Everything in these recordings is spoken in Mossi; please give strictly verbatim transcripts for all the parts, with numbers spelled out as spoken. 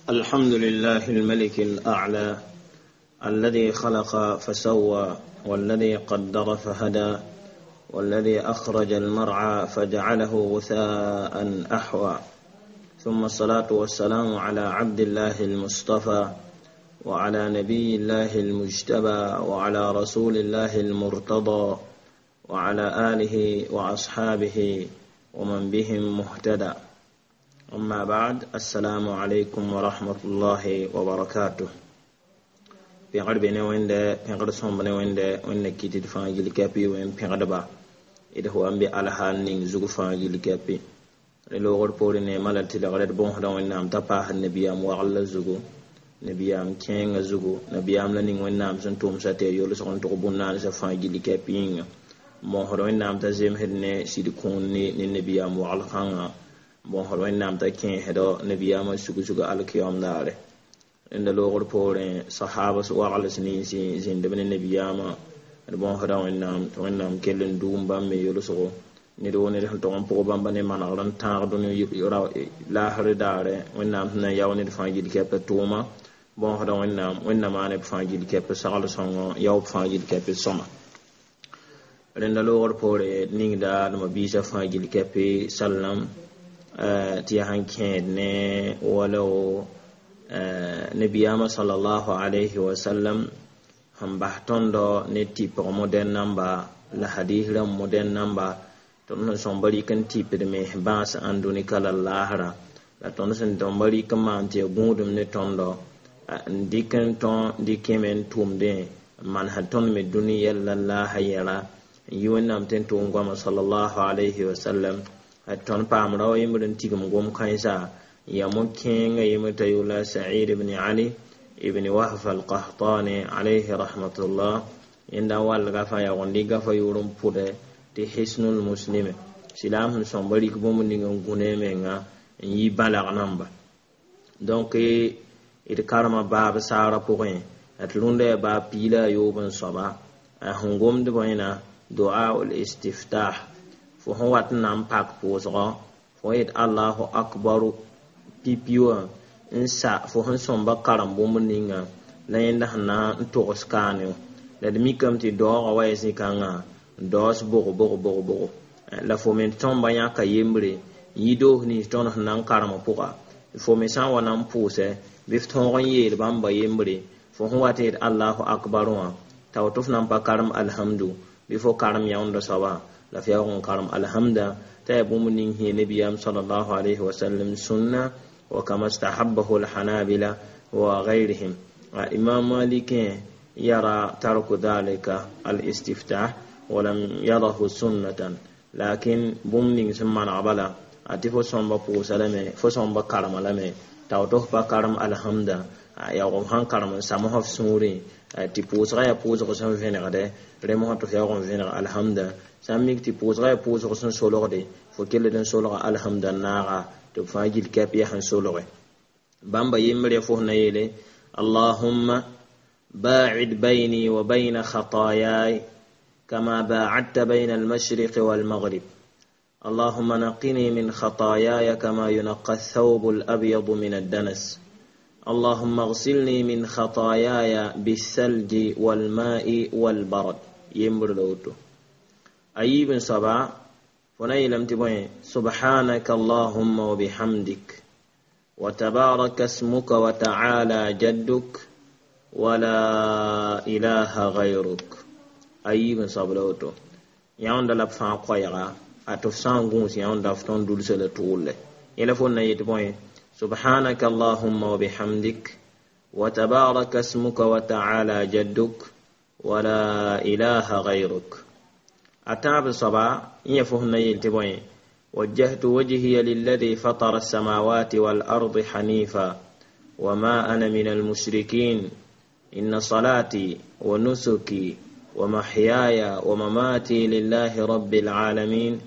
الحمد لله الملك الأعلى الذي خلق فسوى والذي قدر فهدى والذي أخرج المرعى فجعله غثاء أحوى ثم الصلاة والسلام على عبد الله المصطفى وعلى نبي الله المجتبى وعلى رسول الله المرتضى وعلى آله وأصحابه ومن بهم مهتدى أما بعد السلام عليكم ورحمة الله وبركاته pẽgd be ne wẽnde pẽgd sõmb ne wẽnde wẽnna kɩt d fãa gill kapi wẽn pẽgdba d f wa n be alhaal ning zug fãa gill kapi d loogr poorẽ neemã la tɩlgr d bõosda wẽnnaam t'a paasd nabiyaam wagl zugu nabiyaam kẽengã zugu nabiyaam la ning wẽnnaam sẽn tʋmsa tɩ ya yolsg n tʋg bũn-naansã fãa gill kapi yĩnga bõosd wẽnnaam t'a zemsd ne sɩd kũun ne ne nabiyaam wagl kãngã bõosd wẽnnaam t'a kẽesdɔ nabiyaamã sug-sug alkiyaoom daare rẽnda loogr poorẽ sahabas wagls ninsi zĩndb ne nabiyaamã d bõosda wẽnnaam tɩ wẽnnaam kell n duum bãmb me yolsgo ned wo ned sẽn tog n pʋg bãmba ne manegr n tãag dũni laasr daare wẽnnaam sẽn na n yao ned fãa gill kɛp tʋʋma bõosda wẽnnaam wẽnna maan b fãa gill kɛp sagl sõngo yao b fãa gill kɛp sõma rẽnda loogr poore ningda d ma-biisã fãa gill kɛp sallam tɩ yaa sẽn kẽed ne wala nabiyaamã salallahu alayhi wa sallam sẽn bas tõndo ne tɩpg modɛn namba la hadis rãmb modɛn namba tõnd sẽn sõmba rɩk n tɩpd mens bãas ãndũnika la laasra la tõnd sẽn tõmba rɩk n maan tɩ ya gũudum ne tõndo n dɩk n tõ dɩkẽme n tʋmdẽ n manesd tõnd me dũni yɛl la laasa yɛla n yi wẽnnaam tɩ n tʋʋm goama salallahu alayhi wa sallam tõnd paam rao yembr n tigim gom-kãensa ya mo-kẽengã yembr t'a yʋla Sa'id ibn Ali ibn Wahf al-Qahtani alayhi rahmatullah yẽnda n wall gafa yaoog n dɩk gafa yʋʋr n pʋdɛ tɩ Hisnul Muslim silaam sẽn sõmba rɩk bũmb ning n gũ ne menga n yi bãlag namba donc d karema baab saara pʋgẽ tɩ rũndã yaa baab piila a yoob n soaba sẽn gomd bõena du'a ul istiftah fo sẽn wat n na n pak pʋʋsgɔ fo yet allahu akbaru pipi wã n sa fo sẽn sõmba karem bũmb ninga la yẽnda sẽn na n togs kaane la d mikame tɩ daoogã wa yaa zĩ-kãngã daoos bog bog bog bog la fo me tõmba yãka yembre n yi doos nins tõnd sẽn na n karem pʋga fo me sã n wa na n pʋʋsɛ bɩ f tõog n yeel bãmba yembre fo sẽn wat yet allahu akbar wã tao tɩ f na n pa karem alhamdu bɩ fo karem yãoonda soaba la f yaoog n karem alhamda t'a yaa bũmb ning sẽn nabiyaam salallahu alayhi wa sallam sũnna وكما استحبه الحنابلة وغيرهم إمام مالك يرى ترك ذلك الاستفتاح ولم يره سنة لكن bũmb ning sẽn maneg bala a tɩ fo sõmba pʋʋsa lame fo sõmba karema lame tao tɩ f pa karem alhamda yaoog f sãn karem n samsã f sũurẽ tɩ pʋʋsgã yaa pʋʋsg sẽn vẽnegdɛ rẽmsã tɩ f yaoog n vẽneg alhamda sã n mik tɩ pʋʋsgã yaa pʋʋsg sẽn solgde fo kelld n solga alhamda n naaga tɩ b fãa gill kɛp yaa sẽn solge bãmba yembre fo na yeele اللهم باعد بيني وبين خطاياي كما باعدت بين المشرق والمغرب اللهم نقني من خطاياي كما ينقى الثوب الأبيض من الدنس اللهم اغسلني من خطاياي بالثلج والماء والبرد يمبر لوتو أيب سبا فنيلم تبين سبحانك اللهم وبحمدك وتبارك اسمك وتعالى جدك ولا إله غيرك أيب سبا yãunda la b fãa koɛɛga a tɩ f sã n gũus yãunda f tõnd dulsa la tʋʋlle yẽla fo na yetɩ bõe سبحانك اللهم وبحمدك وتبارك اسمك وتعالى جدك ولا إله غيرك أتاب صبا يفهم يلتبوين وجهت وجهي للذي فطر السماوات والأرض حنيفا وما أنا من المشركين إن صلاتي ونسكي ومحياي ومماتي لله رب العالمين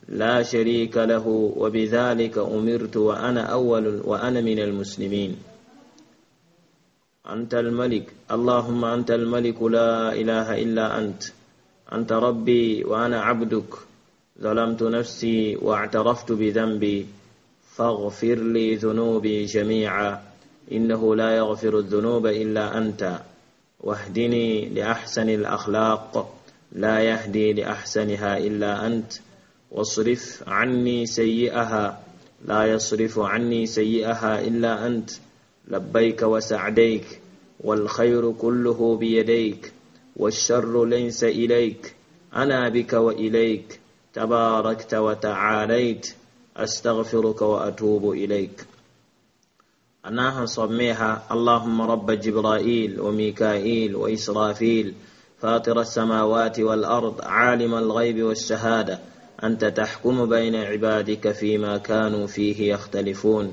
لا شريك له وبذلك أمرت وأنا أول وأنا من المسلمين أنت الملك اللهم أنت الملك لا إله إلا أنت أنت ربي وأنا عبدك ظلمت نفسي واعترفت بذنبي فاغفر لي ذنوبي جميعا إنه لا يغفر الذنوب إلا أنت واهدني لأحسن الأخلاق لا يهدي لأحسنها إلا أنت واصرف عني سيئها لا يصرف عني سيئها إلا أنت لبيك وسعديك والخير كله بيديك والشر ليس إليك أنا بك وإليك تباركت وتعاليت أستغفرك وأتوب إليك أناها صميها اللهم رب جبرائيل وميكائيل وإسرافيل فاطر السماوات والأرض عالم الغيب والشهادة أنت تحكم بين عبادك فيما كانوا فيه يختلفون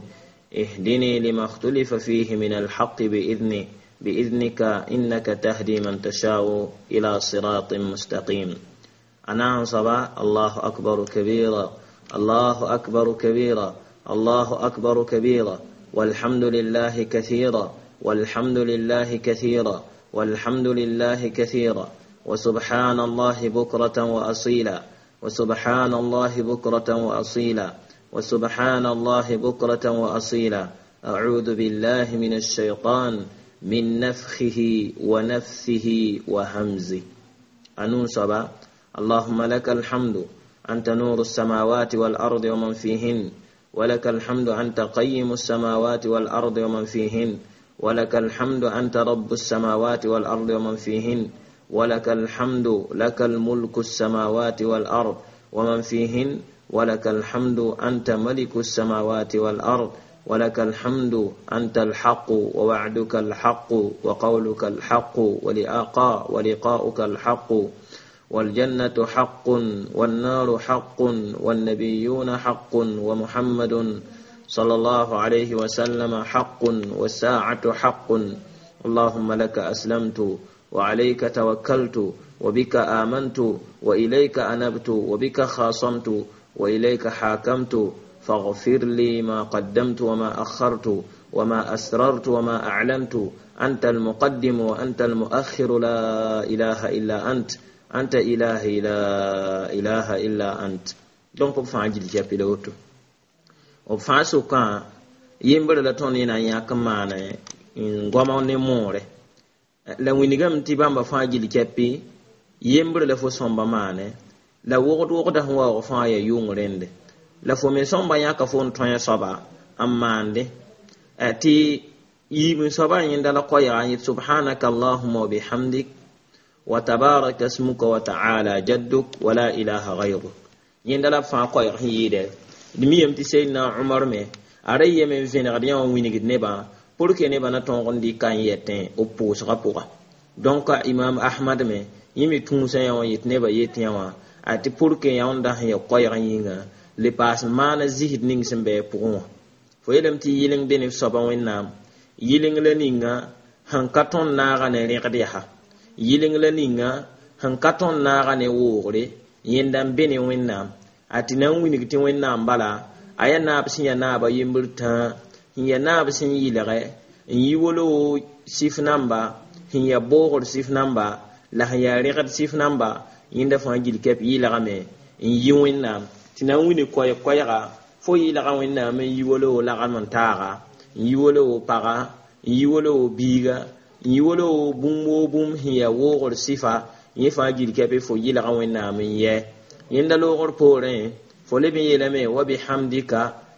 اهدني لما اختلف فيه من الحق بإذنه بإذنك إنك تهدي من تشاء إلى صراط مستقيم أنا صبا الله أكبر كبيرا الله أكبر كبيرا الله أكبر كبيرا والحمد لله كثيرا والحمد لله كثيرا والحمد لله كثيرا وسبحان الله بكرة وأصيلا وسبحان الله بكرة وأصيلا وسبحان الله بكرة وأصيلا أعوذ بالله من الشيطان من نفخه ونفثه وهمزه أنون سبا اللهم لك الحمد أنت نور السماوات والأرض ومن فيهن ولك الحمد أنت قيم السماوات والأرض ومن فيهن ولك الحمد أنت رب السماوات والأرض ومن فيهن ولك الحمد لك الملك السماوات والأرض ومن فيهن ولك الحمد أنت ملك السماوات والأرض ولك الحمد أنت الحق ووعدك الحق وقولك الحق ولقاء ولقاؤك الحق والجنة حق والنار حق والنبيون حق ومحمد صلى الله عليه وسلم حق والساعة حق اللهم لك أسلمت وعليك توكلت وبك آمنت وإليك أنبت وبك خاصمت وإليك حاكمت فاغفر لي ما قدمت وما أخرت وما أسررت وما أعلنت أنت المقدم وأنت المؤخر لا إله إلا أنت أنت إلهي لا إله إلا أنت donc b fãa gil kɛpɩ la woto b fãa sʋkã yembre la tõnd yẽ na n yãk n maane n goama ne moore la wilgame tɩ bãmba fãa gil kɛpɩ yembre la fo sõmba maane la wogd wogda sẽn waoog fãa yaa yʋng rẽnde la fo me sõmba yãka fo n tõe soaba n maande tɩ yiib n soaba yẽnda la koɛɛga n yet سبحانك اللهم وبحمدك وتبارك اسمك وتعالى جدك ولا إله غيرك yẽnda la b fãa koɛɛg sẽn yɩɩdɛ d mi yem tɩ seydna umar me a ra yeme n vẽnegd yã wã wingd nebã pour que nebã na tõog n dɩka n yɛtẽ b pʋʋsgã pʋga donc imam ahmad me yẽ me tũusã yã wã yet nebã yet yã wã a tɩ pour que yãwẽnda sẽn ya koɛɛg yĩnga le paas n maana zisd ning sẽn bɩ pʋgẽ wã fo yeelame tɩ yɩleng be ne f soaba wẽnnaam yɩleng la ninga sẽn ka tõnd naaga ne rẽgd yaa yɩleng la ninga sẽn ka tõnd naaga ne woogre yẽnda n be ne wẽnnaam a tɩ na n wilg tɩ wẽnnaam bala a yaa naab sẽn yaa naaba yembr tãa sẽn yaa naab sẽn yɩlge n yi wolo sɩf namba sẽn yaa boogr sɩf namba la sẽn yaa rẽgd sɩf namba yẽnda fãa gil kɛp yɩlgame n yi wẽnnaam tɩ na n wilg koɛɛg koɛɛga fo yɩlga wẽnnaam n yi wolo lagem n taaga n yi wolo paga n yi wolo biiga n yi wolo bũmb woo bũmb sẽn yaa woogr sɩfa yẽ fãa gil kɛpɩ fo yɩlga wẽnnaam n yɛ yẽnda loogr poorẽ fo leb n yeelame وبحمدك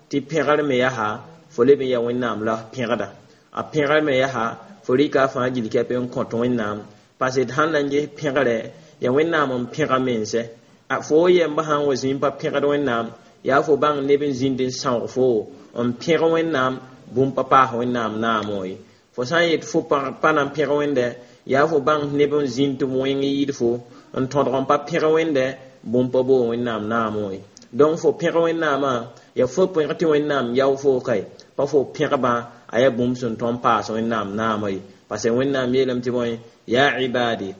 tɩ pẽgr me yaa fo leb n yaa wẽnnaam la pẽgda a pẽgr me yaa fo rɩka a fãa gil kɛpɩ n kõt wẽnnaam parce d sãn na n ges pẽgrɛ yaa wẽnnaam n pẽga mense fo yɛmba sã n wa zĩig pa pẽgd wẽnnaam yaa fo bãng neb n zĩnd n sãoog fo n pẽg wẽnnaam bũmb pa paas wẽnnaam naamo ye fo sã n yet fo pa na n pẽg wẽnde yaa fo bãng neb n zĩnd tɩ b wẽng yɩɩd fo n tõdg n pa pẽg wẽnde bũmb pa boog wẽnnaam naamo ye donc fo pẽg wẽnnaamã yaa fo pẽg tɩ wẽnnaam yao fo kae pa fo pẽgbã a yaa bũmb sẽn tõnd paas wẽnnaam naamã ye parce que wẽnnaam yeelame tɩ bõe يا عبادي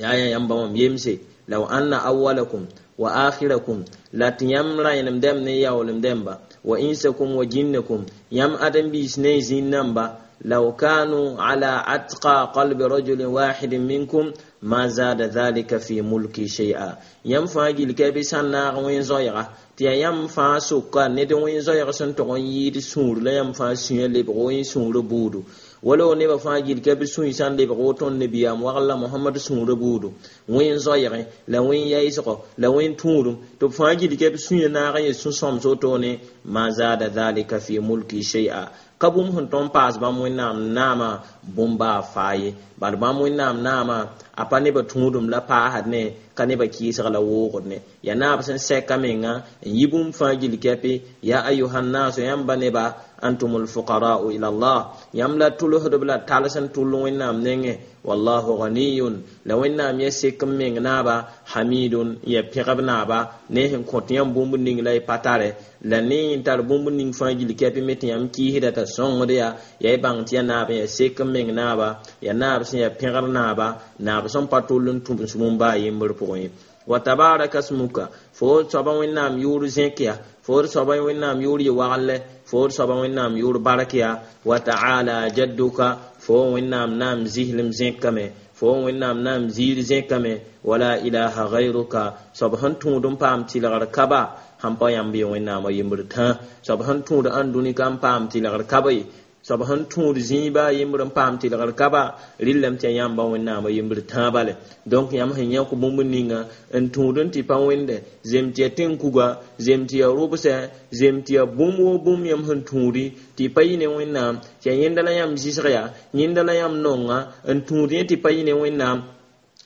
yaa ya yãmba wãm yemse Law anna awwalakum wa akhirakum la tɩ yãmb rãenem ne yaoolem dẽmba wa insakum wa jinnakum yãmb ãdem-biis ne zĩn-namba law kanu ala atqa qalbi rajulin wahidin minkum ma zada dhalika fi mulki shay'a yãmb fãa gill ka bɩ sã n naag wẽn-zoɛɛga tɩ yaa yãmb fãa sʋka ned wẽn-zoɛɛg sẽn tog n yɩɩd sũur la yãmb fãa sũyã lebg wẽn sũurã buudu wala nebã fãa gill ka bɩ sũy sã n lebg woto n nabiyaam wagl la mohamad sũurã buudu wẽn-zoɛɛgẽ la wẽn-yaɩsgɔ la wẽn-tũudum tɩ b fãa gill ka bɩ sũyã naag n yẽ sũ-sõms wotone ma zada dhalika fi mulki shay'a ka bũmb sẽn tõnd paas bãmb wẽnnaam naamã bũmb-baa faa ye bal bãmb wẽnnaam naamã a pa nebã tũudum la paasd ne ka nebã kɩɩsg la woogd ne yaa naab sẽn sɛka menga n yi bũmb fãa gill kɛpɩ ya ayuhannasu yãmba neba antum lfuqarau ila allah yãmb la tʋlsdb la tals n tʋll wẽnnaam nengẽ wallahu ghaniyun la wẽnnaam ya sek n meng naaba hamidun ya pẽgb naaba ne sẽn kõt yãmb bũmb ning la y pa tare la ne n tar bũmb ning fãa gill kɛpɩ me tɩ yãmb kɩɩsda t'a sõngd ya ya y bãng tɩ ya naab n ya sek n meng naaba ya naab sẽn ya pẽgr naaba naab sẽn pa tʋll n tũbs bũmb baa yembr pʋgẽ ye wa tabaraka smuka fo soaba wẽnnaam yʋʋr zẽk ya fo soaba wẽnnaam yʋʋr yɩ waglɛ fo soaba wẽnnaam yʋʋr bark ya wa taala jadduka fo wẽnnaam naam zislem zẽkame fo wẽnnaam naam ziir zẽkame wala ilaha gayruka soab sẽn tũud n paam tɩlgr kaba sãn pa yãmb ye wẽnnaamã yembr tã soab sẽn tũud ãndũnika n paam tɩlgr kaba ye soab sẽn tũud zĩiba yembr n paam tɩlgr kaba rɩllame tɩ yaa yãmba wẽnnaamã yembr tãa bale donc yãmb sẽn yãk bũmb ninga n tũud n tɩ pa wẽnde zem tɩ ya tẽn-kuga zem tɩ ya rʋbsɛ zem tɩ ya bũmb woo bũmb yãmb sẽn tũudi tɩ pa yɩ ne wẽnnaam tɩ yaa yẽnda la yãmb zɩsg yaa yẽnda la yãmb nonga n tũud yẽ tɩ pa yɩ ne wẽnnaam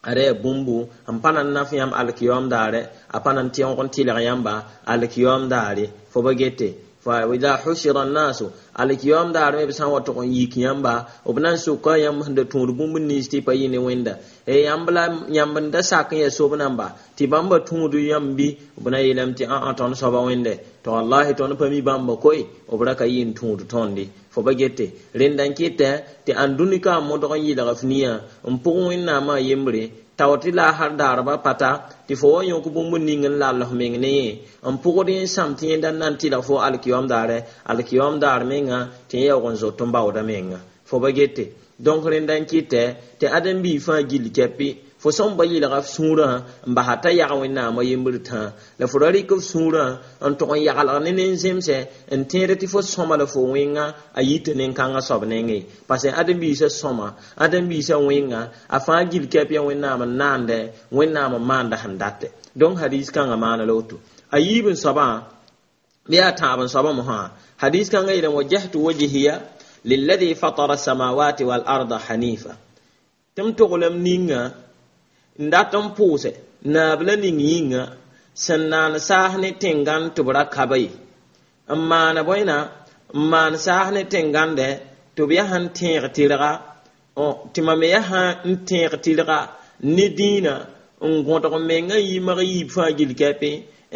ada yaa bũmbu n pa na n naf yãmb alkiyoom daare a pa na n tẽog n tɩlg yãmba alkiyoom daare fo ba gete fa ida hushira annasu alkiyom daar me b sã n wa tʋg n yik yãmba b na n soka yãmb sẽn da tũud bũmb nins tɩ pa yɩ ne wẽnda yãmb la yãmb n da sak n yaa sob namba tɩ bãmba tũud yãmb bɩ b na yeelame tɩ ã tõnd soaba wẽnde tɩ wallahi tõnd pa mi bãmba koe b ra ka yɩ n tũud tõndi fo ba gete rẽnda n kɩtɛ tɩ ãndũnika n modg n yɩlg f nia n pʋg wẽnnaamã yembre tao tɩ la har daarba pata tɩ fo wa yõk bũmb ning n lall f meng ne yẽ n pʋgd yẽ sãm tɩ yẽnda n na n tɩlg fo alkiyoom daare alkiyoom daar menga tɩ yẽ yaoog n zot n baooda menga fo ba gete donc rẽnda n kɩtɛ tɩ ãdem-biig fãa gill kɛpɩ fo sẽn ba yɩlga f sũurã n basa t'a yag wẽnnaamã yembr tã la fo ra rɩk f sũurã n tʋg n yaglg ne nen-zemsɛ n tẽed tɩ fo sõma la fo wẽnga a yita nen-kãngã soab nengẽ parce ãdem-biisã sõma ãdem-biisã wẽnga a fãa gill kɛp yaa wẽnnaam n naandɛ wẽnnaam n maanda sẽn datɛ donc hadis kãngã maana la woto a yiib n soabã bɩ yaa tãab n soabã mosã hadis kãngã yeelame wajjahtu wajhiya lilladhi fatara samawati wal arda hanifa tɩ m toglem ninga n dat n pʋʋsɛ naab la ning yĩnga sẽn naan saas ne tẽngãn tɩ b ra kaba ye n maana bõena n maan saas ne tẽngãndɛ tɩ b yaa sẽn tẽeg tɩrga tɩ mam me yaa sã n tẽeg tɩrga ne dĩinã n gõdg mengã yimg yiib fãa gill kɛpɩ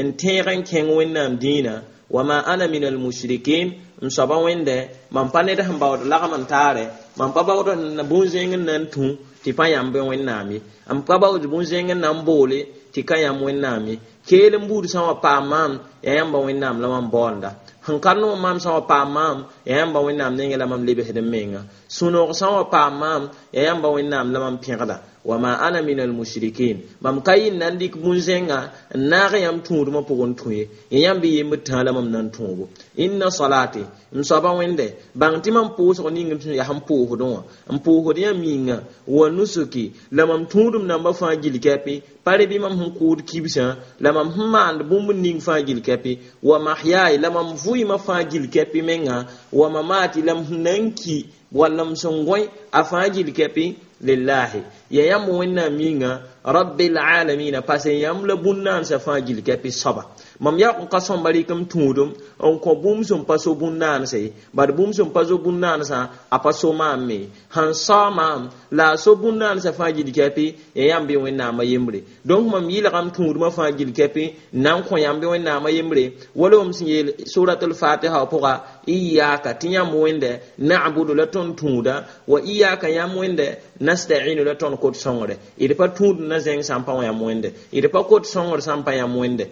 n tẽeg n kẽng wẽnnaam dĩinã wama ana min almushrikin n soaba wẽndɛ mam pa ned sẽn baood lagm n taarɛ mam pa baood bũn-zẽng n na n tũ tɩ pa yãmb wẽnnaam ye m pa baood bũn-zẽng n na n boole tɩ ka yãmb wẽnnaam ye keel n buud sã n wa paam maam yaa yãmba wẽnnaam la mam baoonda sẽn ka noom maam sã n wa paam maam yaa yãmba wẽnnaam nengẽ la mam lebsd n menga sũ-noog sã n wa paam maam yaa yãmba wẽnnaam la mam pẽgda wama ana min almushrikin mam ka yɩ n na n dɩk bũn-zẽnga n naag yãmb tũudmã pʋgẽ tũ ye ya yãmb yembd tã la mam na n tõogo inna salati m soaba wẽnde bãng tɩ mam pʋʋsg ning m yaa sẽn pʋʋsdẽ wã n pʋʋsd yãmb yĩnga wa nusuki la mam tũudum nambã fãa gill kɛpɩ pa re bɩ mam sẽn kʋʋd kibsã la mam sẽn maand bũmb ning fãa gill kɛpɩ wa mahyaay la mam vʋɩɩmã fãa gill kɛpɩ menga wa mamati la m sẽn na n ki walla m sẽn gõe a fãa gill kɛpɩ lillahi ya yãmb wẽnnaam yĩnga rabbil alamina parce yãmb la bũn-naansã fãa gill kɛpɩ soaba mam yaoog n ka sõmba rɩk m tũudum n kõ bũmb sẽn pa so bũn-naanse bad bũmb sẽn pa so bũn-naansã a pa so maam me sẽn sao maam la a so bũn-naansã fãa gill kɛpɩ ya yãmb bɩ wẽnnaamã yembre donc mam yɩlgam tũudmã fãa gill kɛpɩ n na n kõ yãmb bɩ wẽnnaamã yembre wala m sẽn yeel surat al-fatiha pʋga iyaka tɩ yãmb wẽnde na'budu la tõnd tũuda wa iyaka yãmb wẽnde nasta'inu la tõnd kot sõngre d pa tũud na zẽng sã n pa yãmb wẽnde d pa kot sõngr sã n pa yãmb wẽnde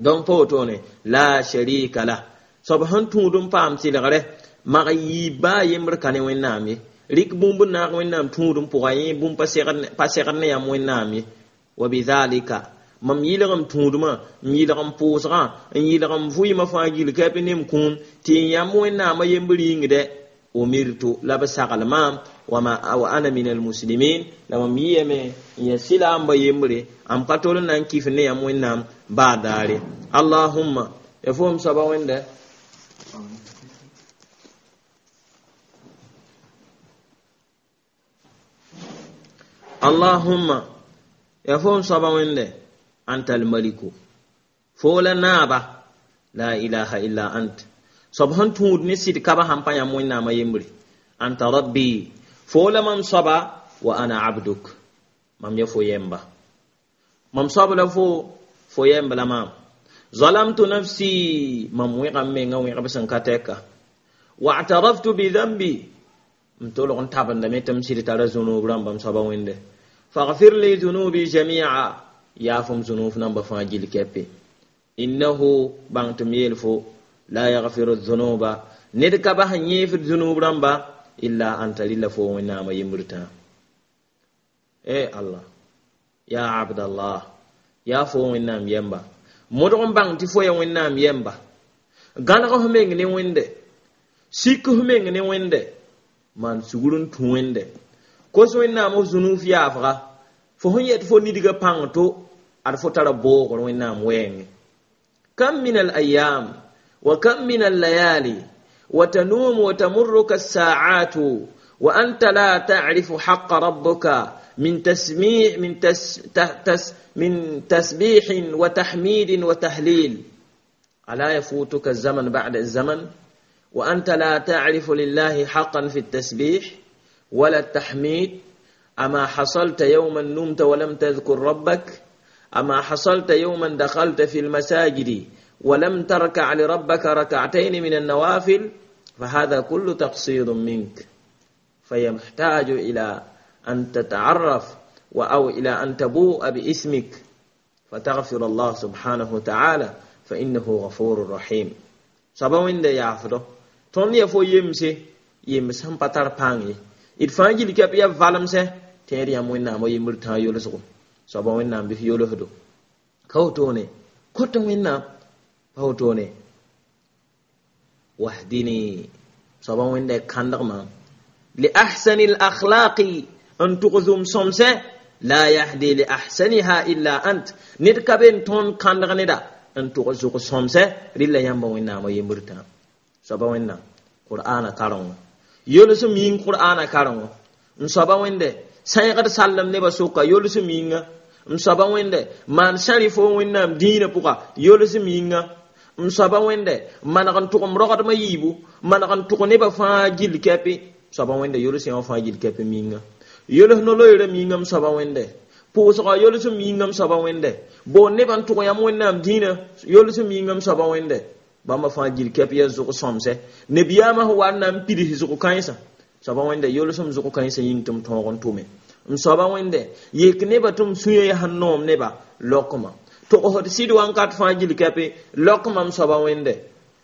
donc pa wotone la sharika la soab sẽn tũud n paam tɩlgre mag yiib baa yembr ka ne wẽnnaam ye rɩk bũmb n naag wẽnnaam tũud n pʋga yẽ bũmb pa segd ne yãmb wẽnnaam ye wa bidhalika mam yɩlgem tũudmã n yɩlg n pʋʋsgã n yɩlg n vʋɩɩmã fãa gill kɛpɩ ne m kũum tɩ n yãmb wẽnnaamã yembr yĩngdɛ umirtu la b sagl maam wa ana min almuslimin la mam yɩyame n ya sɩlaamba yembre am ka tol n na n kɩf ne yãmb wẽnnaam baa daare allahumma ya fo m soaba wẽnda allahumma ya fo m soaba wẽnde anta almaliku fo la naaba la ilaha illa ant soab sẽn tũud ne sɩd kaba sãn pa yãmb wẽnnaamã yembre anta rabbi fo la mam soaba wa ana abduk mam ya fo yemba mam soab la fo fo yemb la maam zalamtu nafsi mam wẽga m menga wẽgb sẽn ka tɛka wa ataraftu bidhambi m tolg n tabendame tɩ m sɩd tara zũnub rãmba m soaba wẽnde faghfir li dhunubi jamia yaaf m zũnub namba fãa gill kɛpe innahu bãng tɩ m yeel fo la yaghfiru dhunuba ned ka bas n yẽefd zũnub rãmba illa anta rɩla fo wẽnnaamã yembr tãa e allah ya abdallah yaa fo wẽnnaam yɛmba modg n bãng tɩ fo ya wẽnnaam yɛmba gãneg f meng ne wẽnde sik f meng ne wẽnde maan sugr n tũ wẽnde kos wẽnnaam f zũnuf yaafga fo sẽn yet fo nidgã pãng to ad fo tara boogr wẽnnaam wɛɛngẽ kam min al ayam wa kam min al layali wa tanuum wa tamurruka الساعات وأنت لا تعرف حق ربك من تسميع من تس تس من تسبيح وتحميد وتهليل ألا يفوتك الزمن بعد الزمن وأنت لا تعرف لله حقا في التسبيح ولا التحميد أما حصلت يوما نمت ولم تذكر ربك أما حصلت يوما دخلت في المساجد ولم تركع لربك ركعتين من النوافل فهذا كل تقصير منك فيحتاج إلى أن تتعرف أو إلى أن تبوء باسمك فتغفر الله سبحانه وتعالى فإنه غفور رحيم سبا وين يعفدو tõnd ya fo yemse yems sẽn pa tar pãng ye d fãa gill kɛp ya valemsɛ tẽed yãmb wẽnnaamã yembr tãa yolsgo soaba wẽnnaam bɩ f yolsdo ka wotone kota wẽnnaam pa wotone wahdini soaba wẽnda kãndg maam li ahsani lakhlaqi n tʋg zʋm sõmsɛ la yahdi li ahsaniha illa ant ned ka be n tõnd kãndg neda n tʋg zʋg sõmsɛ rɩla yãmba wẽnnaamã yembr tãa soaba wẽnnaam qur'ana karengo yolsem yĩng qur'ana karengo n soaba wẽnde sãegd sallem nebã sʋka yolsem yĩnga m soaba wẽnde maan sãri fo wẽnnaam dĩinã pʋga yolsem yĩnga m soaba wẽnde maneg n tʋgem rogdmã yiibu maneg n tʋg nebã fãa gill kɛpɩ soaba wẽnde yols yã wã fãa gill kɛpɩ yĩnga yols no-loeerã yĩnga m soaba wẽnde pʋʋsgã yolsem yĩnga m soaba wẽnde boon nebã n tʋg yãmb wẽnnaam dĩinã yolsem yĩnga m soaba wẽnde bãmba fãa gill kɛp yaa zʋg sõmsɛ nebiyaamã sẽn wa n na n pids zʋg kãensã soaba wẽnde yolsem zʋg kãensã yĩng tɩ m tõog n tʋme m soaba wẽnde yek nebã tɩ m sũyã yaa sẽn noom neba lokma togsd sɩd wãnkat fãa gill kɛpɩ lok mam soaba wẽnde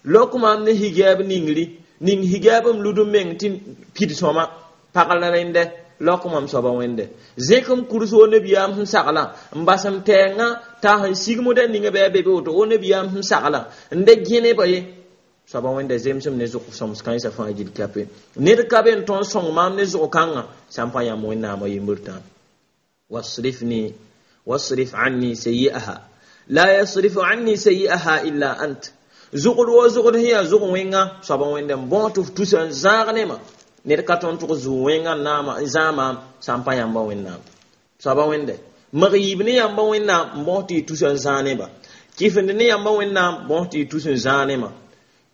lok mam ne higɛɛb ningri ning higɛɛb m lud m meng tɩ pid sõma pagl rẽndɛ lok mam soaba wẽnde zẽk m kurs wo nebiyaam sẽn saglã n bas m tɛɛngã t'a sẽn sigmdã ninga bɩ a be be woto wo nebiyaam sẽn saglã n da gẽ nebã ye soaba wẽnda zemsem ne zʋg sõms kãensã fãa gill kɛpɩ ned ka be n tõnd sõng maam ne zʋg kãngã sã n pa yãmb wẽnnaamã yembr tã wasrifni wasrif anni sayi'aha la yasrifu anni sayi'aha illa ant zʋgd wo zʋgd sẽn yaa zʋg wẽnga soaba wẽnda n bõo tɩ f tusa n zãag nema ned ka tõnd tʋg zuu wẽngã naama n zãag maam sã n pa yãmba wẽnnaam soaba wẽnde mag yiib ne yãmba wẽnnaam n bõs tɩ y tus n zãag neba kɩfend ne yãmba wẽnnaam bõs tɩ y tus n zãag nema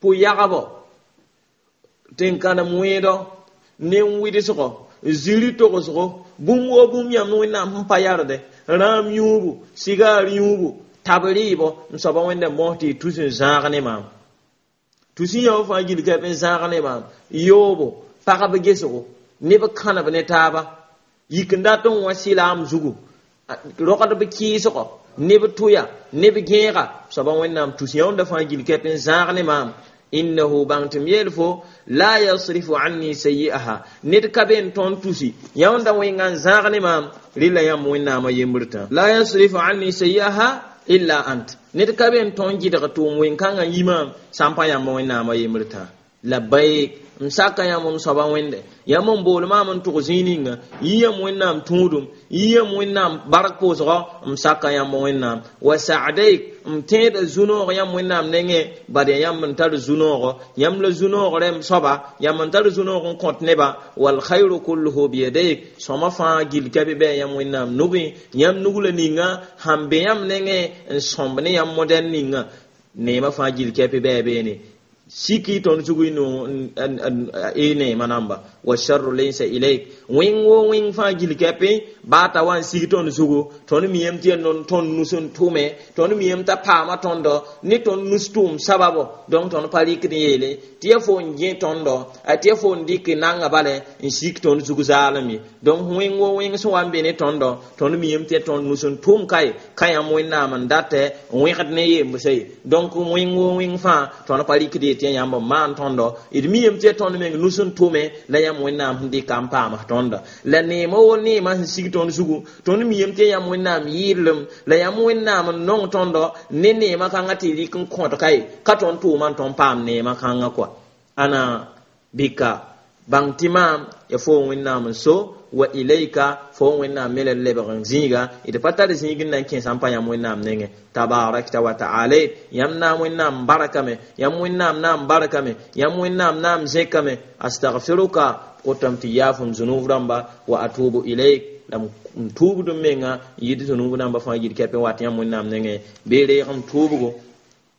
pʋ-yagbo tẽn-kãnem wẽedɔ nen-wɩdsgɔ ziri togsgo bũmb wo bũmb yãmb wẽnnaam sẽn pa yarde rãam yũubu sigaar yũubu tab rɩɩbɔ m soaba wẽnda n bõs tɩ y tus n zãag ne maam tus n yã wã fãa gill kɛp n zãag ne maam yoobo pagb gesgo neb kãneb ne taaba Yik n dat n wã sɩlaam zugu rogdb kɩɩsgɔ neb tʋya neb gẽega soaba Wẽnnaam tus yãunda fãa gill kɛp n zãag ne maam. Innahu bãng tɩ m yeel fo la yasrifu anni sayi'aha ned ka be n tõnd tusi yãunda wẽnga n zãag ne maam rɩla yãmb Wẽnnaamã yembr tã la yasrifu anni sayi'aha illa ant ned ka be n tõnd gɩdg tʋʋm wẽn-kãngã yi maam sã n pa yãmb Wẽnnaamã yembr tã. Labbaik n saka yãmb m soaba Wẽnde yãmb n bool maam n tʋg zĩig ninga yɩ yãmb Wẽnnaam tũudum yɩ yãmb Wẽnnaam bark pʋʋsgɔ m saka yãmb Wẽnnaam wa sa'daik m tẽeda zu-noog yãmb Wẽnnaam nengẽ bad yaa yãmb n tar zu-noogɔ yãmb la zu-noogrã m soaba yãmb n tar zu-noog n kõt neba wal khayru kulluhu biyadayk sõma fãa gill ka be bɩ yãmb Wẽnnaam nugẽ yãmb nug la ninga sãn be yãmb nengẽ n sõmb ne yãmb modɛn ninga neemã fãa gill kɛpɩ bɩ a beene siki tõnd zug y neema namba wa sharru laysa ilayk wẽng wo wẽng fãa gill kɛpẽ baa t'a wa n sig tõnd zugu tõnd miyame tɩ yaa tõnd nus n tʋme tõnd miyame t'a paama tõndo ne tõnd nus tʋʋm sababo donc tõnd pa rɩkd n yeele tɩ yaa fo n gẽ tõndo tɩ yaa fo n dɩk nanga bale n sik tõnd zug zaalem ye donc wẽng wo wẽng sẽn wa n be ne tõndo tõnd miyame tɩ yaa tõnd nus n tʋʋm kae ka yãmb Wẽnnaam n datɛ n wẽgd ne yembsã ye donc wẽng wo wẽng fãa tõnd pa rɩkd yetɩ tɩ yãmb n maan tõndo d miyame tɩ yaa tõnd meng nus n tʋme la yãmb Wẽnnaam sẽn dɩka n paam tõnda la neemã wo neemã sẽn sig tõnd zugu tõnd miyame tɩ yaa yãmb Wẽnnaam yɩɩdlem la yãmb Wẽnnaam n nong tõndo ne neemã kãngã tɩ rɩk n kõt ka ye ka tõnd tʋʋma n tõnd paam neemã kãngã kɔa ana bika bãng tɩ maam ya fo Wẽnnaam n so wa ilayka fo Wẽnnaam me la lebg n zĩiga d pa tar zĩig n na n kẽes n pa yãmb Wẽnnaam nengẽ tabarakta wa ta'ala yãmb naam Wẽnnaam barakame yãmb Wẽnnaam naam barakame yãmb Wẽnnaam naam zẽkame astagfiruka kotame tɩ yaaf m zũnub rãmba wa atubu ilayk la m tuubd m menga n yɩd zũnub rãmba fãa yid kɛpẽ wat yãmb Wẽnnaam nengẽ bee reeg m tuubgo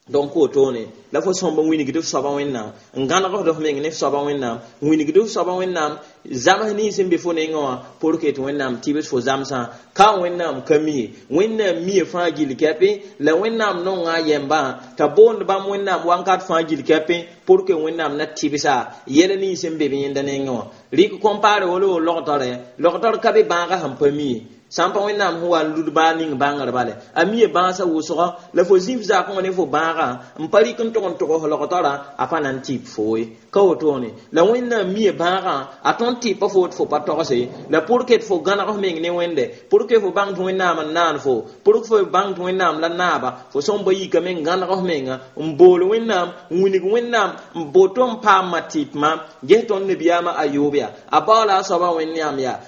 donc wotone la fo sõmb n wilgd f soaba Wẽnnaam n gãnegd f meng ne f soaba Wẽnnaam n wilgd f soaba Wẽnnaam zams nins sẽn be fo nengẽ wã pour que tɩ Wẽnnaam tɩbs fo zamsã ka Wẽnnaam ka mi Wẽnnaam mie fãa gill kɛpẽ la Wẽnnaam nonga a yɛmbã t'a boond bãmb Wẽnnaam wãnkat fãa gill kɛpẽ pour que Wẽnnaam na tɩbsa yɛl nins sẽn be b yẽnda nengẽ wã rɩk compare wala wo logtore logtor ka be bãagã sẽn pa mi sã n pa Wẽnnaam sẽn wa n lud baa ning bãngr bale a mie bãasã wʋsgɔ la fo zĩf zakẽ wã ne fo bãagã n pa rɩk n tʋg n tʋgs logtorã a pa na n tɩp fo ye ka wotone la Wẽnnaam mie bãagã a tõnd tɩpa fo tɩ fo pa togse la pour que tɩ fo gãneg f meng ne Wẽnde pour que fo bãng tɩ Wẽnnaam n naan fo pour que fo bãng tɩ Wẽnnaam la naaba fo sõmba yikame n gãneg f menga n bool Wẽnnaam n wilg Wẽnnaam n boto n paamã tɩpmã ges tõnd nabiyaamã a yoob yaa a baoola a soaba Wẽnnaam yaa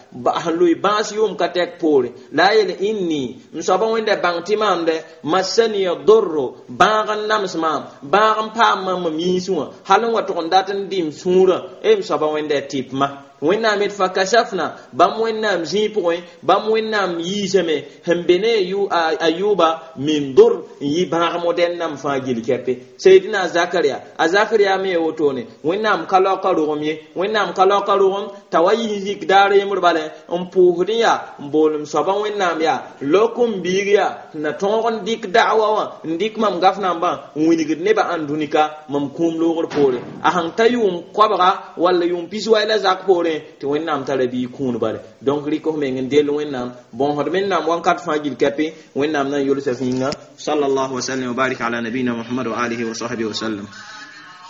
sẽn loe bãas yʋʋm ka tɛk poore la a yeel inni m soaba Wẽnda bãng tɩ maam dɛ masaniya dorro bãag n nams maam bãag n paam maam mam yĩnsẽ wã hal n wa tʋg n dat n dɩ m sũurã e m soaba Wẽnda tɩpmã Wẽnnaam d fakashafna bãmb Wẽnnaam zĩig pʋgẽ bãmb Wẽnnaam yiisame sẽn be ne a yʋʋba min dor n yɩ bãag modɛn nam fãa gill kɛpe Seydina Zakaria a Zakaria me wotone Wẽnnaam ka laoka rogem ye Wẽnnaam ka laoka rogem t'a wa yɩ zik daar yembr bale n pʋʋsd yaa n bool m soaba Wẽnnaam yaa lok n biig yaa na tõog n dɩk da'wa wã n dɩk mam gaf nambã n wilgd nebã ãndũnika mam kũum loogr poore a sãn ta yʋʋm koabga walla yʋʋm pis wai la zak poorẽ tɩ Wẽnnaam tara biig kũun bale donc rɩk f meng n dell Wẽnnaam bõosd Wẽnnaam wãnkat fãa gill kɛpẽ Wẽnnaam na n yolsa fĩnga sallallahu wa sallam wa barik ala nabiyina Muhammad wa alihi wa sahbihi wa sallam.